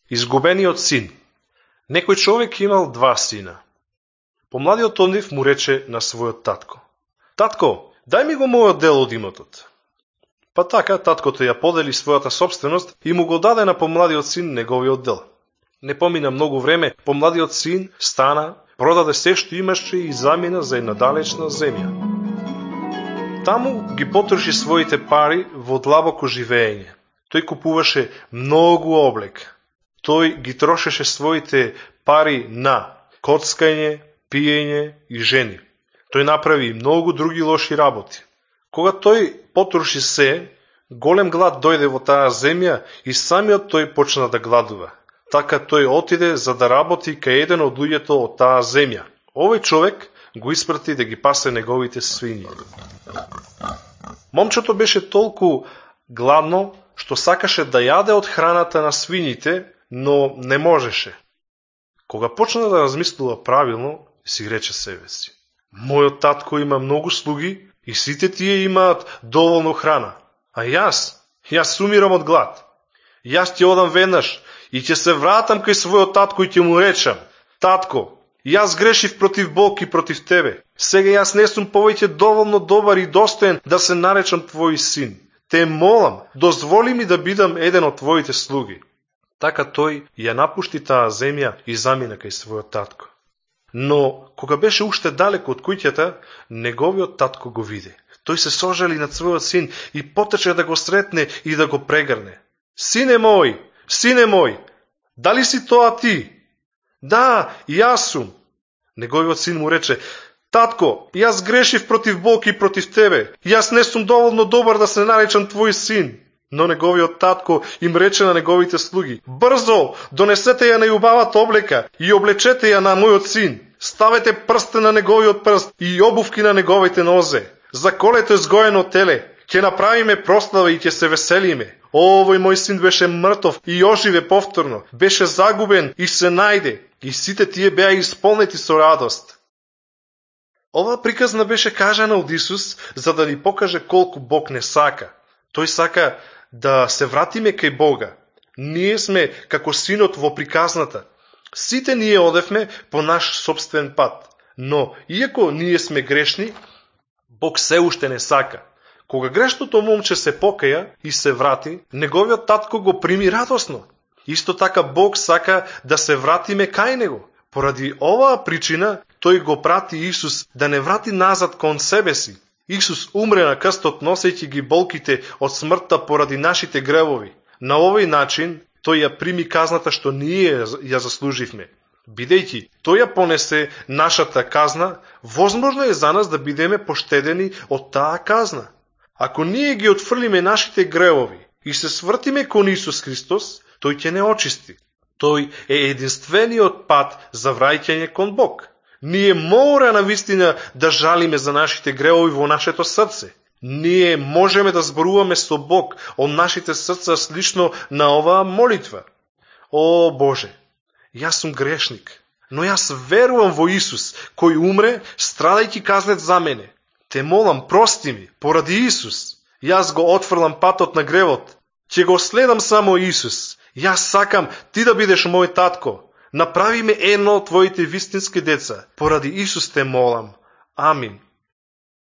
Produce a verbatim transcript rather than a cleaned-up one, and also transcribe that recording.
Изгубениот син. Некој човек имал два сина. Помладиот од нив му рече на својот татко: "Татко, дај ми го мојот дел од имотот." Па така, таткото ја подели својата собственост и му го даде на помладиот син неговиот дел. Не помина многу време, помладиот син стана, продаде се што имаше и замина за една далечна земја. Таму ги потроши своите пари во длабоко живење. Тој купуваше многу облек. Тој ги трошеше своите пари на коцкање, пиење и жени. Тој направи многу други лоши работи. Кога тој потроши се, голем глад дојде во таа земја и самиот тој почна да гладува. Така тој отиде за да работи кај еден од луѓето од таа земја. Овој човек го испрати да ги пасе неговите свињи. Момчето беше толку гладно што сакаше да јаде од храната на свињите, но не можеше. Кога почна да размислува правилно, си рече себе си: "Мојот татко има многу слуги и сите тие имаат доволно храна, а јас, јас умирам од глад. Јас ќе одам веднаш и ќе се вратам кај својот татко и ќе му речам: татко, јас грешив против Бог и против тебе. Сега јас не сум повеќе доволно добар и достоен да се наречам твој син. Те молам, дозволи ми да бидам еден од твоите слуги." Така тој ја напушти таа земја и замина кај својот татко. Но кога беше уште далеко од куќата, неговиот татко го виде. Тој се сожали над својот син и потече да го сретне и да го прегрне. "Сине мој, сине мој, дали си тоа ти?" "Да, јас сум." Неговиот син му рече: "Татко, јас грешив против Бог и против тебе. Јас не сум доволно добар да се наречам твој син." Но неговиот татко им рече на неговите слуги: "Брзо, донесете ја најубавата облека и облечете ја на мојот син. Ставете прстен на неговиот прст и обувки на неговите нозе. Заколете згоено теле, ќе направиме прослава и ќе се веселиме. Овој мој син беше мртов и оживе повторно, беше загубен и се најде, и сите тие беа исполнети со радост." Оваа приказна беше кажана од Исус за да ни покаже колку Бог не сака. Тој сака да се вратиме кај Бога. Ние сме како синот во приказната. Сите ние одевме по наш собствен пат, но иако ние сме грешни, Бог се уште не сака. Кога грешното момче се покаја и се врати, неговиот татко го прими радосно. Исто така Бог сака да се вратиме кај него. Поради оваа причина тој го прати Исус да не врати назад кон себе си. Исус умре на крстот носејќи ги болките од смртта поради нашите гревови. На овој начин тој ја прими казната што ние ја заслуживме. Бидејќи тој ја понесе нашата казна, возможно е за нас да бидеме поштедени од таа казна. Ако ние ги отфрлиме нашите гревови и се свртиме кон Исус Христос, тој ќе не очисти. Тој е единствениот пат за враќање кон Бог. Ние мора на вистина да жалиме за нашите гревови во нашето срце. Ние можеме да зборуваме со Бог од нашите срца слично на оваа молитва. О Боже, јас сум грешник, но јас верувам во Исус, кој умре, страдајќи казнет за мене. Те молам, прости ми, поради Исус. Јас го отфрлам патот на гревот. Ќе го следам само Исус. Јас сакам ти да бидеш мој татко. Направи ме едно од твоите вистински деца. Поради Исус те молам. Амин.